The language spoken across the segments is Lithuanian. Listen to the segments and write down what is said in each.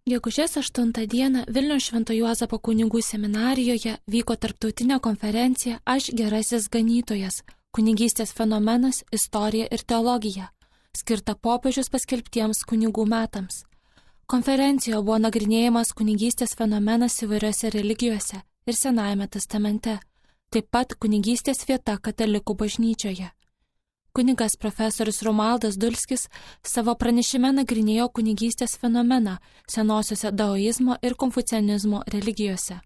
Gegužės 8 dieną Vilniaus Švento Juozapo kunigų seminarijoje vyko tarptautinė konferencija Aš gerasis ganytojas – kunigystės fenomenas, istorija ir teologija, skirta popiežius paskelbtiems kunigų metams. Konferencijoje buvo nagrinėjamas kunigystės fenomenas įvairiose religijose ir Senajame testamente, taip pat kunigystės vieta katalikų bažnyčioje. Kunigas profesorius Romualdas Dulskis savo pranešime nagrinėjo kunigystės fenomeną senosiuose daoizmo ir konfucianizmo religijose.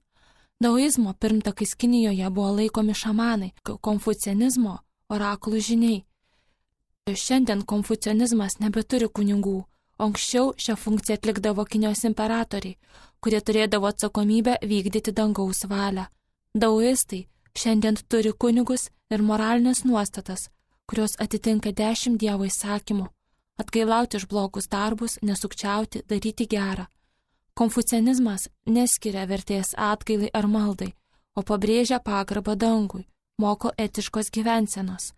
Daoizmo pirmtakais Kinijoje buvo laikomi šamanai, konfucianizmo orakulų žiniai. Šiandien konfucianizmas nebeturi kunigų, o anksčiau šią funkciją atlikdavo Kinijos imperatoriai, kurie turėdavo atsakomybę vykdyti dangaus valią. Daoistai šiandien turi kunigus ir moralinės nuostatas, kurios atitinka 10 Dievo įsakymų – atgailauti už blogus darbus, nesukčiauti, daryti gerą. Konfucianizmas neskiria vertės atgailai ar maldai, o pabrėžia pagarbą dangui, moko etiškos gyvensenos.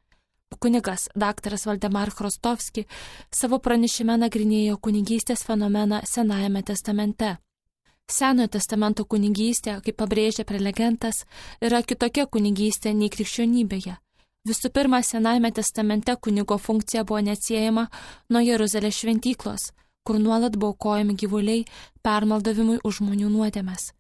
Kunigas dr. Valdemar Chrostovski savo pranešime nagrinėjo kunigystės fenomeną Senajame testamente. Senojo testamento kunigystė, kaip pabrėžia prelegentas, yra kitokia kunigystė nei krikščionybėje. Visų pirma, Senajame testamente kunigo funkcija buvo neatsiejama nuo Jeruzalės šventyklos, kur nuolat buvo aukojami gyvuliai permaldavimui už žmonių nuodėmes.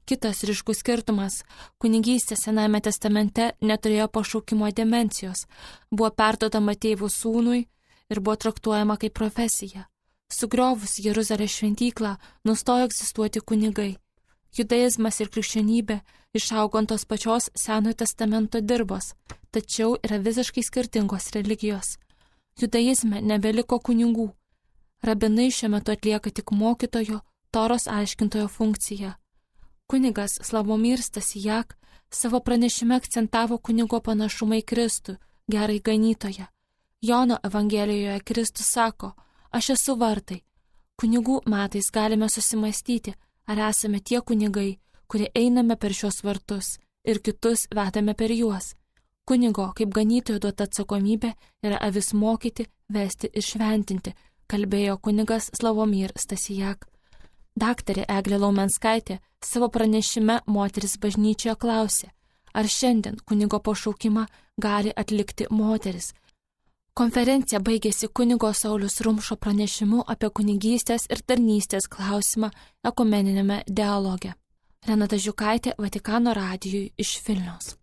Kitas ryškus skirtumas – kunigystė Senajame testamente neturėjo pašaukimo dimensijos, buvo perduodama tėvų sūnui ir buvo traktuojama kaip profesija. Sugriovus Jeruzalės šventyklą nustojo egzistuoti kunigai. Judaizmas ir krikščionybė išaugo ant tos pačios Senojo testamento dirbos, tačiau yra visiškai skirtingos religijos. Judaizme nebeliko kunigų. Rabinai šiuo metu atlieka tik mokytojo, Toros aiškintojo funkciją. Kunigas Slavomir Stasijak savo pranešime akcentavo kunigo panašumą į Kristų, gerąjį ganytoją. Jono Evangelijoje Kristus sako, aš esu vartai. Kunigų metais galime susimastyti, ar esame tie kunigai, kurie einame per šios vartus ir kitus vedame per juos. Kunigo kaip ganytojo duota atsakomybė yra avis mokyti, vesti ir šventinti, kalbėjo kunigas Slavomir Stasijak. Daktarė Eglė Laumenskaitė savo pranešime Moteris bažnyčioje klausė, ar šiandien kunigo pašaukimą gali atlikti moteris. Konferencija baigėsi kunigo Sauliaus Rumšo pranešimu apie kunigystės ir tarnystės klausimą ekumeniniame dialoge. Renata Žiukaitė, Vatikano radijui iš Vilniaus.